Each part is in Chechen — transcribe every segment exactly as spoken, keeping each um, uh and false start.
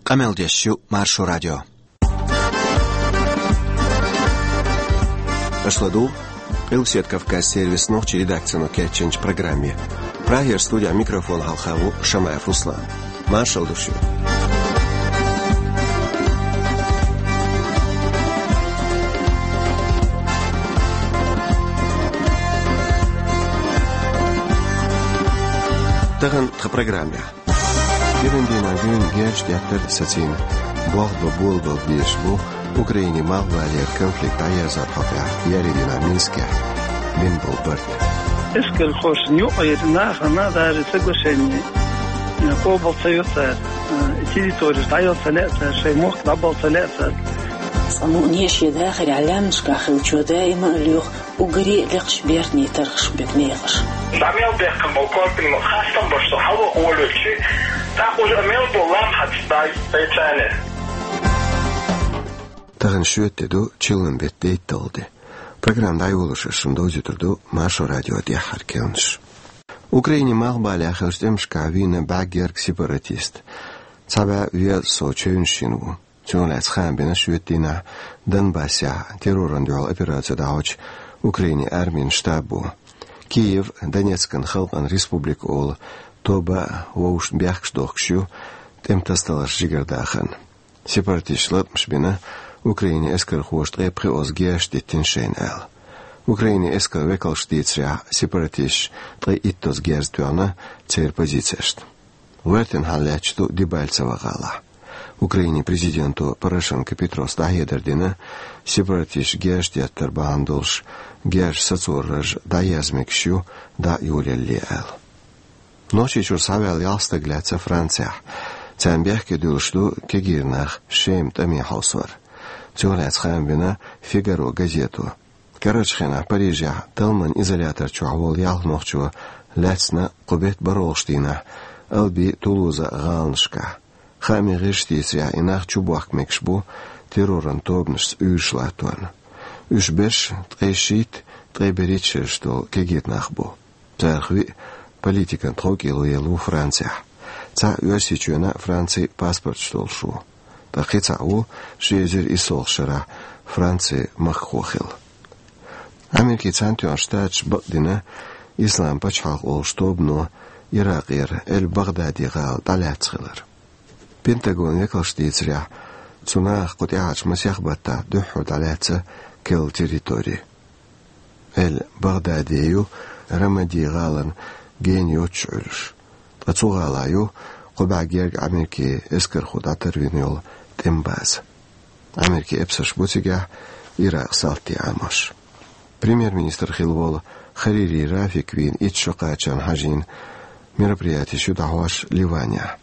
Къамел деш ю Маршо радио. Аша ладугӀу Къилбаседа Кавказан сервисан нохчийн редакцино кечйинчу программе. Прагера студехь микрофон хьалха ву Шамаев Руслан. Маршалла ду шуьга. Тахана тхан программехь. КӀиран дийнахь дуьйна герзаш деттар сацийна болх бан болабала безаш бу Украинин малхбалера конфликт дӀаерзорна хьокъехь еарин дийнахь Минскехь бина болу барт. Эскархошна юкъара нахана даже соглашение къобал ца йо цара, территореш дӀаяла ца лаьа цара, шайн мохк дӀабала ца лаьа цара. Цкъа мукъане а шен дахарехь лаьмнашкахь хиллачо даима а лоьху уггаре а лекхачу бертан тархаш берг мехаш. ДӀа мел бехкам болу корпин ма хастам баш со хьалха волуьйтуш, тӀаккха уже мел болу лам хьаца дай, дай царна. Тахана шоьтан де ду, чиллан беттан дейтталгӀа де. Программа дӀайолош ас шуна довзуьйтур ду Маршо радион тӀаьххьара керланаш. Украинин малхбалехь хиллачу тӀемашкахь вийна бӀе гергга сепаратист. Цхьа бӀе везткъа сов чевнаш йина ву. Цунах лаьцна хаам бина шоьтан дийнахь Донбассехь террорна дуьхьал операци дӀахьочу Украинин армин штабо. Киев Донецкан халкъан республика олу тоба а вовшашна бехкаш дохкуш ю тӀеман тасадаларш жигардаха. Сепаратисташа латкъамаш бина, Украинин эскархоша ткъе пхоьазза герзаш диттина шайна аьлла. Украинин эскаран векалша дийцарехь, сепаратисташа ткъе иттазза герз тоьхна церан позицешна. ГӀоьртина хьал лаьтташ ду Дебальцево гӀалахь. Украинин президенто Порошенко Петрос дӀахьедар дина, сепаратисташа герзаш деттар бахьана долуш герзаш сацорарш дӀаерза мегаш ю дӀа а йолаялале аьлла. Нохчийчуьра схьаваьлла ялх стаг лаьцна Францехь. Царна бехке дуьллуш ду кегийра нах Шеман тӀаме хьовсор. Цунах лаьцна хаам бина «Фигаро» газето. Карарчу хенахь Парижехь талламан изолятор чохь волу ялх нохчо лаьцна кху беттан бархӀолгӀачу дийнахь Алби, Тулуза гӀаланашкахь. Хаамийн гӀирсаша дийцарехь, и нах чубохка мегаш бу терроран тобанашца уьйраш латторна. Уьш берш ткъе шийтта, ткъе берхӀитта шераш долу кегийра нах бу. Царах виъ политикан тховкӀело елла ву Францехь. Цхьаъ Оьрсийчоьнан а, Францин а паспорташ долуш ву. Ткъа кхин цхьаъ ву ши эзар иссалгӀачу шарахь Францин махкахо хилла. Америкин Цхьаьнатоьхна Штаташа бакъдина Ислам пачхьалкх олуш тобано Иракъера Эль-Багъдади гӀала дӀалаьцна хилар. Пентагонан векалша дийцарехь, цу нахах кху тӀаьхьарчу масех баттахь дуьххьара дӀалаьцна керла территори. Эль-Багъдади ю Рамади гӀалана гена йоццуш Ӏуьллуш. Ткъа цу гӀалахь ю кхо бӀе гергга Америкин эскархо дӀатарвина йолу тӀеман база. Америкин эпсарш бу цигахь Иракъан салтий Ӏамош. Премьер-министр хилла волу Харири Рафик вийна итт шо кхачарна хьажийна мероприятеш ю дӀахьош Ливанехь.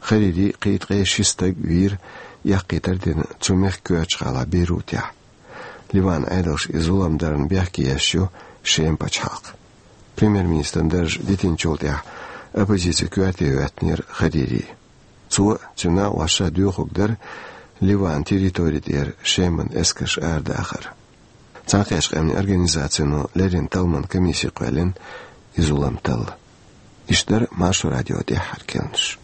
Харири кхин ткъе ши стаг вийра, эккхийтар дина цу мехкан коьртачу гӀалахь Бейрутехь. Ливанан Ӏедалша и зулам дарна бехке еш ю Шеман пачхьалкх. Премьер-министран дарж дитинчул тӀаьхьа оппозицин коьрте хӀоьттинера Харири. Цо а, цуьнан накъосташа а доьхург дара Ливанан территори тӀера Шеман эскарш арадахар. Цхьаьнакхеттачу Къаьмнийн Организацино леррина талламан комисси кхоьллина и зулам талла. Иштта дара Маршо радион тӀаьххьара керланаш.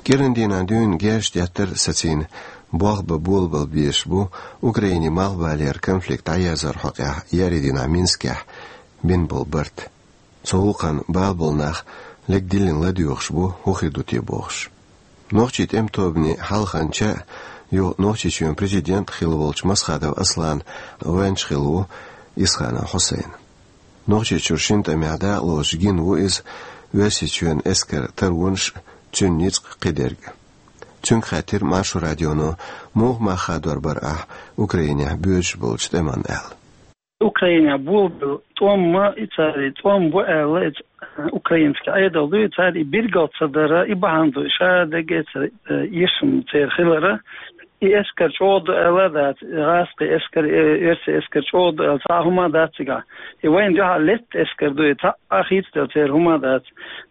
КӀиран дийнахь дуьйна герзаш деттар сацийна болх бан болабала безаш бу Украинин малхбалера конфликт дӀаерзорна хьокъехь еарин дийнахь Минскехь бина болу барт. Цу гӀуллакхна бала болу нах лерг диллина ладоьгӀуш бу, хӀун хир ду те бохуш. Нохчийн тӀеман тобанийн хьалханча а, юха Нохчийчоьнан президент а хилла волчу Масхадов Асланан гӀоьнча хилла ву Исханов Хьусайн. Нохчийчуьра шина тӀамехь дакъалоцуш гина ву иза Оьрсийчоьнан эскаран таронаш а, цуьнан ницкъ а, кхидерг а. Цуьнга хаьттира Маршо радионо, муха мах хадор бара ахь Украинехь боьдуш болчу тӀеман аьлла. Украинехь болабелла тӀом а, и цара и тӀом бу аьлла, и ц-, украинский Ӏедал ду, и цара и билгал ца дара, и бахьана ду, и ша дагеца, э, ешам церан хилара. И эскар чӀогӀа ду аьлла дац, гӀаскхи эскар, э, оьрсийн эскар чӀогӀа ду аьлла цхьа хӀума дац цигахь. И вайна дуьхьа летта эскар ду, и цхьа а хийцаделла церан хӀума дац.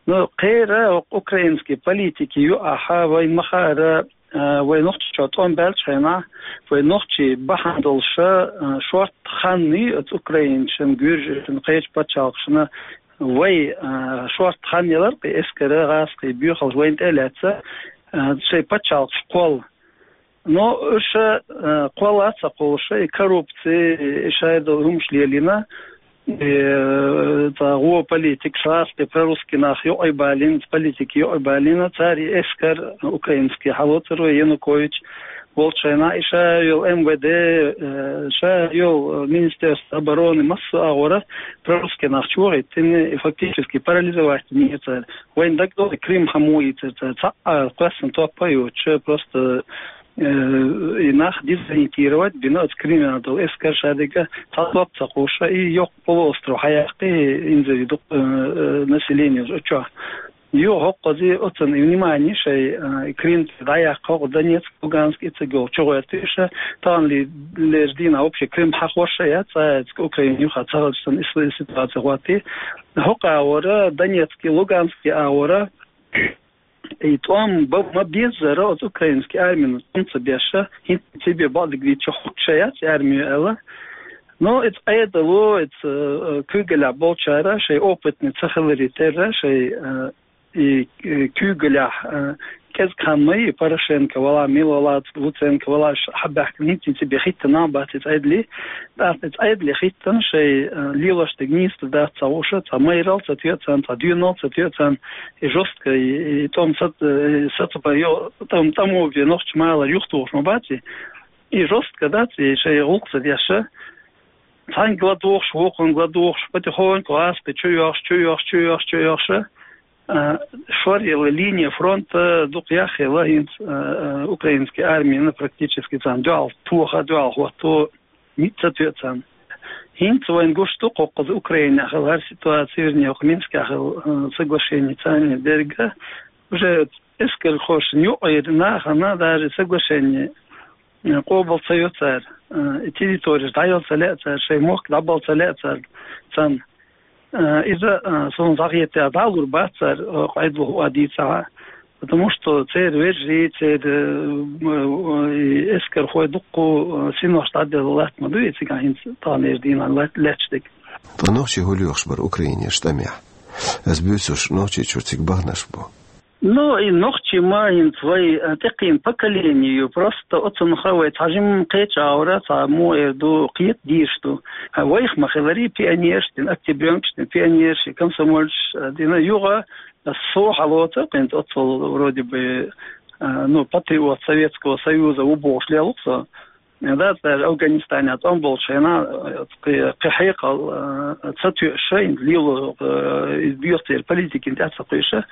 Но кхера хӀокху украинский политики юкъахь вайна ма хаара, а, вай нохчий чохь тӀом баьллачу хенахь, вай нохчий бахьана долуш, а, шортта хан ю оцу украинцашна, гуьржашна, кхечу пачхьалкхашна, вай, а, шортта хан ялар кхин эскара, гӀаскхий боьхалш вайна тӀе а лаьцна, а, шайн пачхьалкхаш кхолла. Но уьш, э, кхолла а ца кхуллуш, и коррупци, и шайдолу хӀумаш лелийна, и, э, цхьа гӀо политика, шаьш тӀе прорусский нах юкъа балийна, политика юкъа балийна, цара и эскар украинский хьалоцур ву Янукович волчу хенахь, и ша йолу М В Д, э, ша йолу Министерство обороны, массо а агӀора прорусский нах чу вахийтина, и фактически парализовать дина цара. Вайна дагадогӀу, Крым хьан муха ийцира цара, цхьа а кхоьссина топ а йоцуш, просто, э, и нах дезориентировать бина оцу Крымехь долу эскар, шадерг цхьа топ ца кхуьссуш, и йоккха полуостров хьаяккхи, инзаре дукха, э, э, население оцу чохь. Юха хӀокхуза оцунна и внимание шайн, э, Крым дӀаяккха, хӀокху Донецк, Луганск, и цига йолу чугӀоьртуш, тахана ли-, лерчу дийнахь вообще Крым хьахош а яц, цкъа Украина юха ца хилча санна, и ситуация хӀоттий. ХӀокху агӀора, Донецкий, Луганский агӀора, и тӀом бан ма беззара оцу украинский армина тӀом ца беш, хӀинца цибе бакъдерг дийцича хӀуттуш а яц армино аьлла. Но иза Ӏедало, иза, э, куьйгаллехь болчара, шайн опытный ца хиларе терра, шайн, э, и, э, куьйгаллехь, э, кӀезиг хан ма йий, Порошенко валахь, мила валахь, Луценко валахь, ш-, хьабаьхкина хӀинца цибе хӀиттина а бац иза Ӏедале. ТӀаккха иза Ӏедале хӀиттина шайн, э, лелош дерг нийса дац ца хууш, цхьа майралла ца тоьу царна, цхьа доьналла ца тоьу царна, и жестко, и, и тӀом сац-, э, сацабан йо-, тӀом, тӀамо бен нохчийн малар юхатухуш ма бац и. И жестко дац, и шайн гӀуллакх ца деш. Цхьаьнга ладугӀуш, вукхунна ладугӀуш, потихоньку гӀаскхи чу йохуш, чу йохуш, чу йохуш, чу йохуш. А, шоръелла линия фронта дукха яхъелла хӀинца, а, а, украинский армина практически царна дуьхьал тоха, дуьхьал хӀотто, ницкъ ца тоьу царна. ХӀинца вайна гуш ду кху-, кхуза Украинехь хилла хӀара ситуация, вернее, кху Минскехь хилла, а, соглашение царна дерг. Уже эскархошна юкъара нахана даже соглашение, э, къобал ца йо цара, э, и территореш дӀайо ца лаьа цара, шайн мохк дӀабала ца лаьа цара, царна. Э, иза, э, суна дӀахетта, дӀалур бац цара, э, къайдалуш а дийцахь, потому что церан вежарий, церан, э, э, и эскархой дуккха, э, синош дӀаделла латта ма ду и цигахь хӀинца таханлерчу дийнахь лат-, лаьтташ дерг. Ткъа нохчий хӀун лоьхуш бара Украинерчу тӀамехь? Ас буьйцурш, Нохчийчуьра цига баханарш бу. Ну, и нохчий ма хӀинца вай, а, тӀекхийна поколение ю, просто оцунах вай цхьа жимма кхечу агӀора, цхьа муха эр ду, кхета дийраш ду. А вайх ма хиларий пионерш дина, октябрёнкаш дина, пионерш, комсомольцаш, а, дина юха, а, со хьалоцу, кхин оццул вроде бы, а, ну, патриот Советского Союза ву бохуш лелу со. Да, цара Афганистанехь тӀом болчу хенахь, э, кхи-, кхин хьекъал, э, ца тоьуш, хӀинца лело, э, иза доьху церан политикина тӀе ца кхуьйсуш,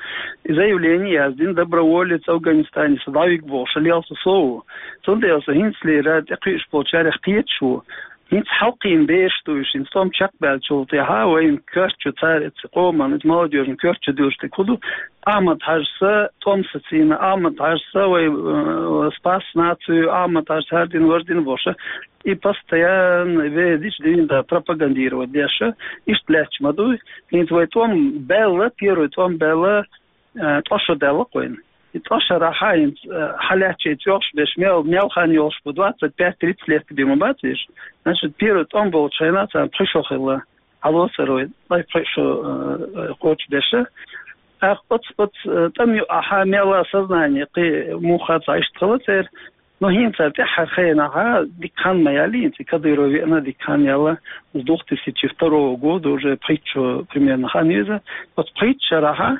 и заявление яздина, доброволец Афганистане со дӀавига бохуш, лелла со со ву. Цундела со хӀинцалера тӀекхуьуш болчарех кхеташ ву. ХӀинца хьалкхийна бераш ду уьш, хӀинца тӀом чекхбаьллачул тӀаьхьа вайн коьртачу цара, эцу къоман, эцу молодёжан коьртачу дуьллуш дерг хӀун ду, Ахьмад-Хьаьжас тӀом сацийна, Ахьмад-Хьаьжас вай, э, спас нацию, Ахьмад-Хьаьжас хӀара дина, вара дина бохуш. И постоянно везаш дина да пропагандировать деш. Иштта лаьтташ ма ду. ХӀинца вай тӀом баьлла, первый тӀом баьлла, э, ткъа шо даьлла кхуьнан. И ткъа шарахь хӀинца, э, хьалаьцча и чохь беш мел, мел хан йолуш бу, двадцать пять тридцать лет бен ма бац уьш. Значит, первый тӀом болчу хенахь царна пхи шо хилла. Хьалоцур вай, ткъе пхи шо, э, кхочушдеш. ТӀаккха оцу, оцу, э, тӀам юкъахь мелла сознание кхин муха цхьа иштта хилла церан. Но хӀинца тӀаьххьара хенахь дика хан ма яьлла, хӀинца Кадыров веана дика хан яьлла, с две тысячи второго года уже пхийтта шо примерно хан ю иза. Оцу пхийтта шарахь,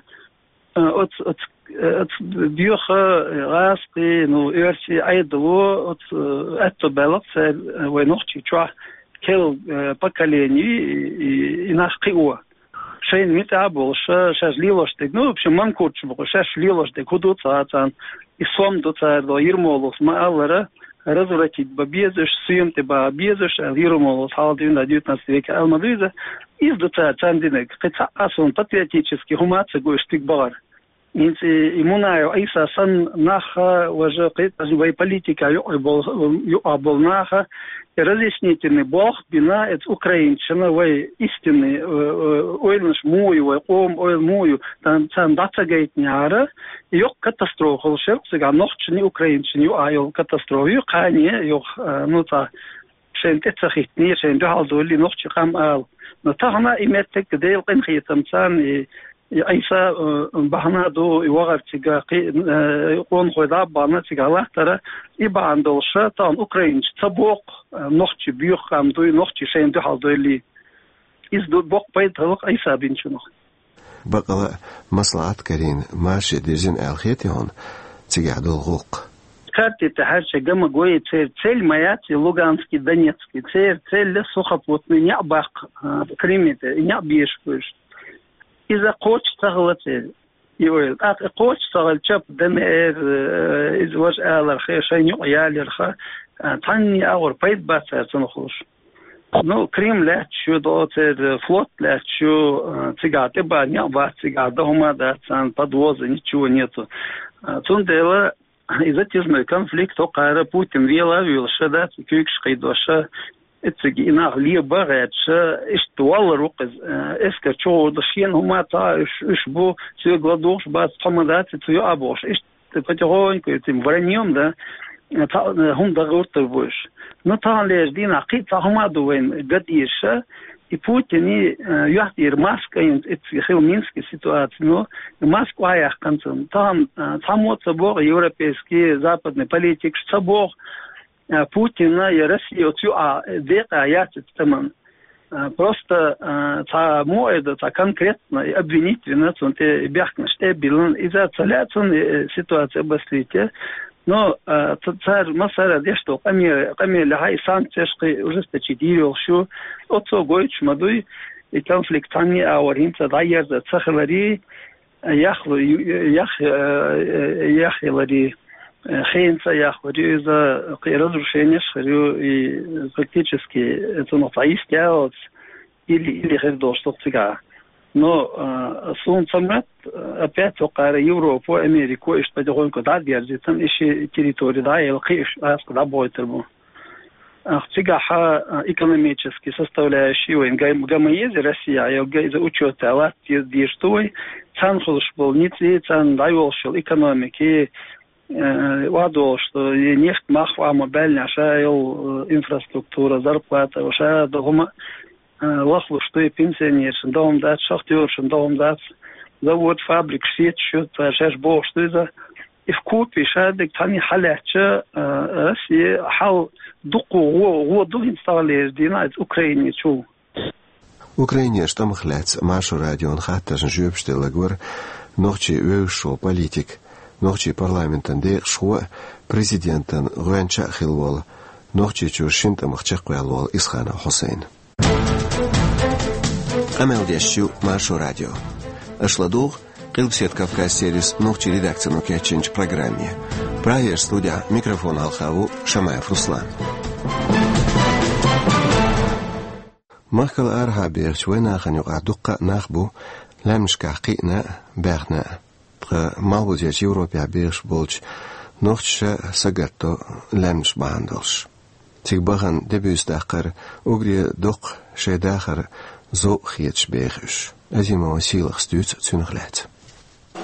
э, оцу, оцу, э, оцу доьху, э, гӀаскхий, ну, оьрсийн Ӏедало, оцу, э, аьтто баьлла церан, э, вай нохчий чохь керла, э, поколение, и, и, и нах кхио. Шайна муьтӀахь а болуш, ша-, шаьш лелош дерг. Ну, в общем, манкурташ бу-кх, шаьш лелош дерг хӀун ду цара, царна и сом ду цара, до Ермоловс ма-аллара, развратить бан безаш, суьйма тӀе бан безаш, аьлла, Ермоловс хьалха дина девятнадцатый веке аьлла ма ду иза. Иза ду цара, царна динарг. Кхин цхьа а суна патриотический хӀума а ца го уьш стиг бахара. ХӀинца и Мунаев Ӏийса санна нах, важа кхеташ вай политика юкъа бол-, юкъа бол нах, и разъяснительный болх бина, эц украинчина вай истинный, э, э, ойланаш муй, вай къом ойла муй, тан, цан дацагайтняра, йокъ катастрофа хул шерк, цига нохчини, украинчини юкъа йол катастрофа ю, кхани йокъ, э, ну, ца, шайн тӀе ца хитни, шайн дуьхьал дули нохчи къам ал. Но тахана и меттек Дел къинхетам цан, и, и Ӏийса, э, бахана ду, и вагӀар цига, кхи-, э, къонхой даббана цига латтара, и баан долша, тан украинч ца бокъ, э, нохчи бюх къам дуй, нохчи шайн дуьхьал дуйли. Из ду бокъ пайда халкъ Ӏийса бинчунах. Бакъала маслаӀат карин марше дирзин аьлла хетий хьуна цигахь долу гӀуллакх? Карти тӀе хьаьрча гама гой, церан цель ма яц и Луганский, Донецкий, церан цель сухопутный неӀ баккха, а, Крыме тӀе, и неӀ бешаш вуьш. Иза кхочуш ца хила церан. И ойла. ТӀаккха и кхочуш ца хилча, ДНР, э, иза важа аларха, шайн юкъа яларха, а, цхьанне агӀор пайда бац цара цунах луш. Ну, Крым лаьтташ ю, до церан флот лаьтташ ю, э, цигахь тӀе бан неӀ бац, цигахь дан хӀума дац, царна подвоза ничего нету. Э, цундела и затяжной конфликт, хӀокхара Путин вела а вуьйлуш, ша дац, куьйгаш кхийдош, эццига и нах леба а гӀерташ, иштта валлар ву-кх иза, э, эскар чугӀурда шена хӀума ца, уьш, уьш бу, соьга ладугӀуш бац, тхо ма дац, цу йоӀ а бохуш, иштта потихоньку этим враньем, да, цхьа, э, хӀума дан гӀертар бу уьш. Ну, таханлерчу дийнахь кхин а цхьа хӀума а ду вайна ган дезаш, и Путине, э, юьхь тӀера маска йина, эцци хила Минский ситуаци, ну, и маска охьаяьккхина цунна. Тахана, э, цхьаммо а ца боху, европейский, западный политикаш ца боху, э, Путина я Россия оцу юкъа декъа яц оцу тӀаман. Э, просто, э, цхьа мо а ду, цхьа конкретно и обвинить вина, цунна тӀе и бехканаш тӀе а биллина. Иза ца лаьа цунна, э, ситуация обострить. Но, э, ца-, цара массара деш долу къамел-, къамелехь и санкцеш кхин ужесточить йийр йолуш ю. Оцо гойтуш ма дуй, и конфликт цхьанне а агӀор хӀинца дӀаерза ца хиларе, яхлу-, ю-, ю-, ях-, э, э, яхъяларе, э, хенца а яхларе, иза кхин разрушенеш хир ю, и практически цунах цхьа йист яц, или, или хир долуш ду-кх цигахь. Но, э, суна ца моьтту, э, опять хӀокхара Европа, Америка, иштта потихоньку дӀа а дерзийтина, и ши территори дӀа а елла, кхин уьш аска дӀабойтур бу. Ах, цигахь, а, экономически составляющий вайн гам-, гамма еза Россия, йо, га-, иза учёт а латта дезаш ду вай, царна хуьлуш болу ницкъ, царна дӀайолуш йолу экономики, э, вадолуш ду, и нефть мах а ма баьллинехь, ша йолу, э, инфраструктура, зарплата, ша ду хӀума, э, лахлуш ду, и пенсионершна ду хӀума дац, шахтёршна ду хӀума дац, завод, фабрика сеташ ю, цара шаьш бохуш ду иза. И вкупе ша дерг цхьаьна хьалаьцча, э, Россия хьал дукха гӀо, гӀо ду хӀинца таханлерчу дийнахь иза Украине чу. Украинерчу тӀамах лаьцна Маршо радион хаттаршна жоьпаш делларг вара нохчий вевзаш волу политик, нохчий парламентан декъашхо а, президентан гӀоьнча а хилла волу, Нохчийчуьра шина тӀамах чекхваьлла волу Исханов Хьусайн. Къамел деш ю Маршо радио. Аша ладугӀу Къилбаседа Кавказ сервисан нохчийн редакцино кечйинчу программе. Прагерчу студехь микрофон хьалха ву Шамаев Руслан. Махкал арахьа бехачу вайнахана юкъахь дуккха а нах бу лаьмнашкахь кхиъна а, баьхна а. Ткъа малхбузерчу Европехь бехаш болчу нохчаша сагатдо лаьмнаш бахьана долуш. Цига бахана де-буьйса даккхар уггаре доккха шайн дахар зовкъа хеташ беха уьш. Азимова Сийлахьас дуьйцу цуьнах лаьцна.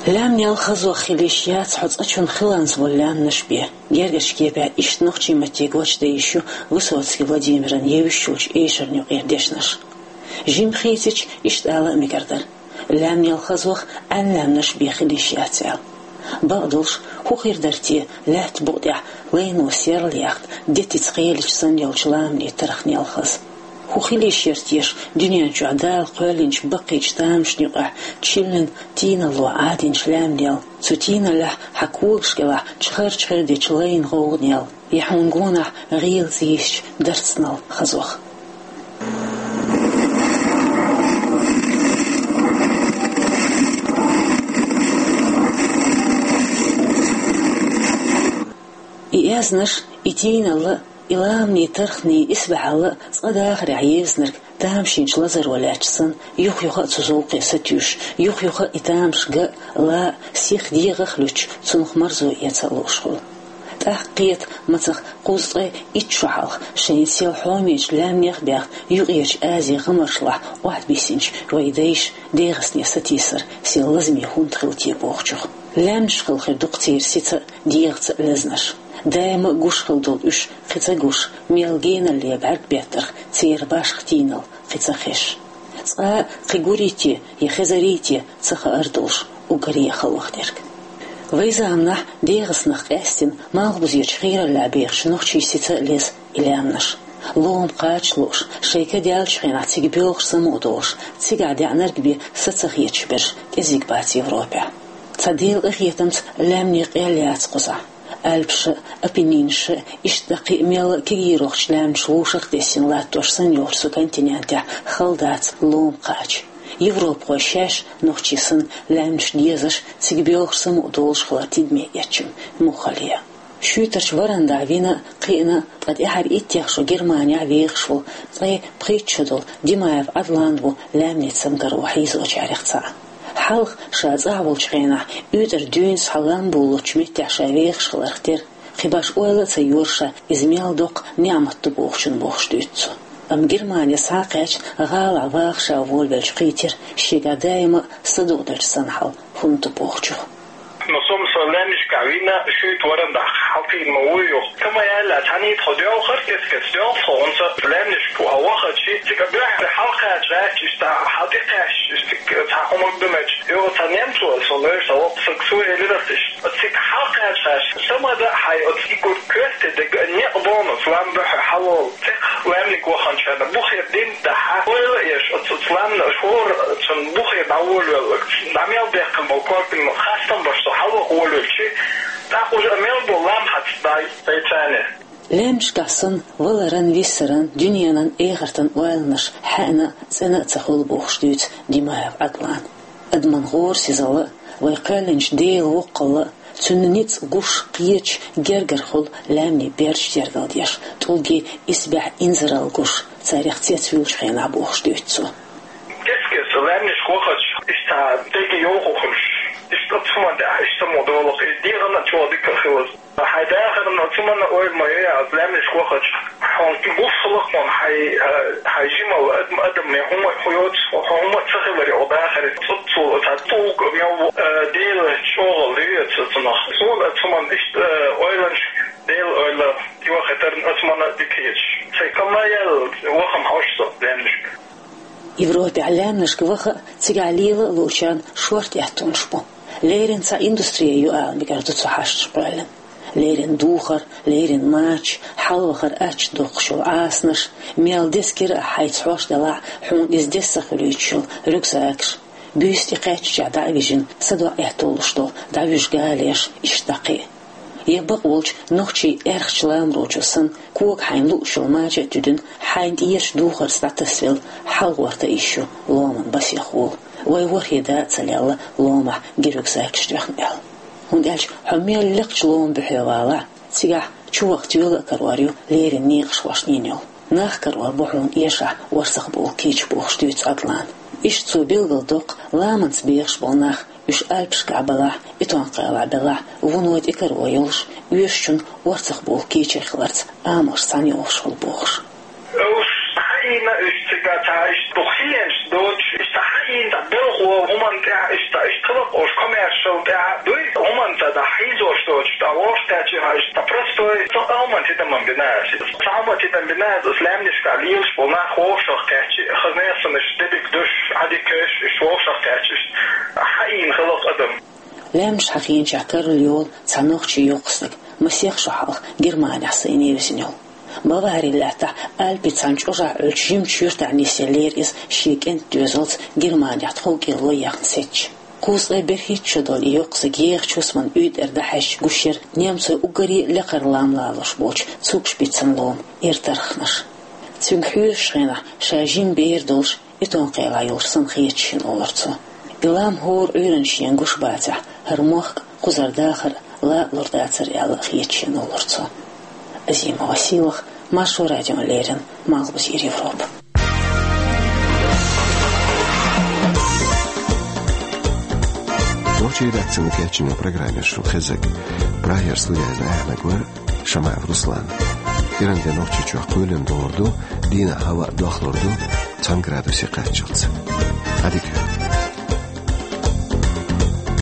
Лаьмнел хазох хила йиш яц хьо цкъачунна хиланза волу лаьмнаш бен. Гергарчу кепехь иштта нохчийн матте гочдан йиш ю Высоцкий Владимиран евзаш йолчу эшарна юкъера дешнаш. Жимма хийцича, иштта ала а мегар дара. Лаьмнел хазох Ӏаьнлаьмнаш бен хила йиш яц аьлла. Бакъдолуш, хӀун хир дара те, лаьтта букъа тӀехь лайно серла яхта, детица кхелича санна йолчу ламанийн тарх нел хаза? ХӀун хила йиш яра теша дуьнен чохь Дала кхоьллинчу баккхийчу тамашна юкъахь чиллин тийналло Ӏадинчу лаьмнел? Цу тийналлехь хьан когаш кӀелахь чхарчхир дечу лайна гӀовгӀанел, я хьуна гонахь гӀелаца йисча дарцнал хазох? И аьзнаш, и тийналла И ламанеи тарханеи исбаьхьалла а цкъа дахарехь евзинарг тамашийначу лазаро лаьтташ санна, юха-юха а цу зовкхе сатуьйсуш, юха-юха а и тамаш ган а, лан а, сиха дегӀах а луьттуш, цунах марзо эца а лууш хуьлу. ТӀаккха кхета, мацах кхузткъе итт шо хьалха шайна сел хьомечу лаьмнех а баьхна, Юккъерчу Азин гӀамаршлахь охьатабиссинчу вайн дайша ДегӀастане сатийсар сел лазаме хӀунда хилла те бохучух. Лаьмнашкахула хир ду-кх церан сица а, дегӀаца а лазнаш. Даима а гуш хилла долу уьш кхин ца гуш, мел геналле бӀаьрг беттарх церан башха тийналла кхин ца хезаш. Цкъа а кхин гурий те я хезарий те ца хаар долуш, уггаре а хала ваханарг. Вайн заманахь ДегӀастанах къаьстина Малхбузерчу хийраллехь бехачу нохчийн сица а леза и лаьмнаш. Лома кхача лууш, шайн ка даьллачу хенахь цига боьлхуш самукъа долуш, цигахь деӀнарг бен са ца хеташ берш кӀезиг бац Европехь. Цхьа Делан къинхетамца лаьмнийн къел яц кхузахь. Альпаша а, Апеннинша а, иштта кхин а мелла а кегийрхочу лаьмнаш вовшах а тесна латтош санна йолчу цу континентехь хала дац лома кхача. Европахой шаьш, нохчий санна, лаьмнаш дезаш, цига боьлхуш самукъа долуш хилар тидаме эцча муххале. Шуьйтарчу варандахь вина а, кхиъна а, ткъа тӀаьхьара иттех шо Германехь вехаш волу, ткъе пхийтта шо долу Димаев Ӏадлан ву лаьмнийн цамгаро хьийзочарех цхьаъ. Хьалха, ша цӀахь волчу хенахь, уьйтӀара дуьйна схьа лам болалучу меттехь ша вехаш хиларх тера, кхин башха ойла а ца йора ша иза мел доккха неӀмат ду бохучун бохуш дуьйцу цо. Амма Германе схьа а кхаьчна, гӀалахь ваха ша волавелча кхийтира, шегахь даима а садукъа делча санна хьал хӀунда ду бохучух. Но со-м со лаьмнашкахь вина, шуьйтӀа варандахь хьалкхийна ма вуй юха. Ца ма аьлла, цхьаьна тхо доьлхура, кест-кеста доьлху тхо, хӀунца лаьмнашка ву хьо вахачи, цига буьххьара хьалакхача гӀаьттича, иштта хьал тӀекхаьчча, иштта цхьа хӀума ду меч. Йо, цхьа немцо, со лоьраш, цхьа воккха саг цо элира аса иштта. Цига хьалакхача гӀаьттича, ца ма дан хьайн оцу игург коьрте дерг а некъ бохуш, лам буьххье хьалаволу. Цхьа лаьмниг ваханчарна бухера дина дахьа, ойла а еш, оцу, оцу ламна аша хӀора цунна бухе дӀаволавелларг, дӀа мел дехкина болу корпин хастам баш со хьалаваха волавелчи, тӀаккха уже мел бу лам хьаца дай, дай царне. Лаьмнашкахь санна, валаран, виссаран, дуьненан, эхартан ойланаш хьаьъна а, цӀена а ца хуьлу бохуш дуьйцу Димаев Ӏадлана. Адаман гӀорасизалла а, вай кхоьллинчу Делан воккхалла а, цуьнан ницкъ гуш, кхеташ, гергара хуьлу лаьмнийн бердаш тергалдеш, тӀулгийн исбаьхьа инзаралла гуш, царех цецвуьйлучу хенахь бохуш дуьйцу цо. Кест-кеста лаьмнашка вахача, иштта дега йовха хуьлуш, иштта цхьа хӀума даьхьа, иштта ма долу, и дегӀана а чӀогӀа дика а хилла. Хьайн дахарна цхьа хӀуманна ойла ма йо, лаьмнашка вахача, хьуна гуш хиларх хьуна хьайн, хьайн жималла, адам, адаман хӀума а йоцу, хьуна хӀума а ца хиларе хьо дахаре, цӀуццул цхьа тӀулг мел ву, Делан чӀогӀалла ю оцу цунах. Суна оцу хӀуманна иштта ойланаш, Делан ойла, йохийтарна оцу хӀуманна дика хеташ. Сайн ка ма яьлла, ваха-м хьожу со лаьмнашка. Европехь лаьмнашка ваха а, цигахь лела а луучарна шорта аьттонаш бу. Леррина цхьа индустрия ю ала мегар ду цу хьашташ кхоьллина. Леррина духар, леррина мачаш, хьалавахар ачча доккхуш йолу Ӏасанаш, мел деза кира а хьайца хьош делахь а, хьуна иза деза ца хуьлуьйтуш йолу рюкзакаш, буьйса тӀекхаьчча дӀа а вижина, садоӀа аьтто луш долу дӀавуьжу галеш, иштта дӀа кхин а. Я бакъволчу нохчийн аьрхачу ламарочо санна, кога хьайна лууш йолу мача а туьдина, хьайна тӀерачу духарца дӀатасвелла, хьалагӀорта а йиш ю ломан басех волу, вай ворхӀе да а ца лелла ломахь гериг закаш тоьхна аьлла. ХӀунда аьлча хьо мел лекхачу ломан буьхье валахь, цигахь чуваха тоьла а карор ю леррина некъаш хьошнийна йолу. Нах карор бу хьуна эшахь орцах болу кийча бохуш дуьйцу Ӏадлана. Иштта цо билгалдоккху ламанца бехаш болу нах, уьш Альпашкахь белахь, Итон-Кхелахь белахь, вуно тӀекаро йолуш, оьшучун орцах болу кийча хиларца амалш цхьаьна йохуш хуьлу бохуш. Уьш хьаийна, уьш цига ца, иштта дукха хиенаш доцуш, иштта хьаийна, цхьа белхо хӀуманна тӀехь, иштта, иштта хиларх уьш коммершал тӀехь дуй, хӀуманна ца дӀа хьийзош доцуш, тӀа вовшах кхаьччи хьажа, цхьа простой, цхьа хӀуманна тидаман бина аса. Цхьа хӀуманна тидам бина аса, лаьмнашкахь лелаш болу нах вовшах кхаьччи, хаза нессанаш дебиг душ, хьадикаш, иштта вовшах кхаьччи, иштта хьаийна хиларх адам. Лаьмнаш хьахийначех карла йолу цхьа нохчийн йоккха стаг, масех шо хьалха Германехь сайна евзина йолу. Бавари лаьттахь Альпийн цхьана чӀожахь Ӏуьллучу жимачу юьртахь нисъеллера иза шен кӀентан доьзалца Германехь тховкӀело яхна сецча. Кхузткъе берхӀитта шо долу и йоккха стаг ехачу хӀусаман уьйтӀара дӀахьаьжча гуш яра немцойн уггаре а лекхара лам лалош болчу цугаш биццан лома эртархнаш. Цуьнга хьоьжучу хенахь ша жима бер долуш, Итон-Кхелахь йолуш санна хеташ йина, олура цо. И лам хӀора Ӏуьйранна шена гуш бацахь, хӀара мохк а, кхузара дахар а ла а лур дацара аьлла а хеташ йина, олура цо. Азима Василах, Маршо радион леррина, малхбуз Европа. Нохчийн редакцино кечйина программе шун хезар. Прагера студехь Ӏехнарг вара Шамаев Руслан. Ӏуйранна де Нохчийчохь кхоьлина догӀур ду, дийнахь хӀаваъ дохлур ду цхьана градусе кхаччалц. Ӏадика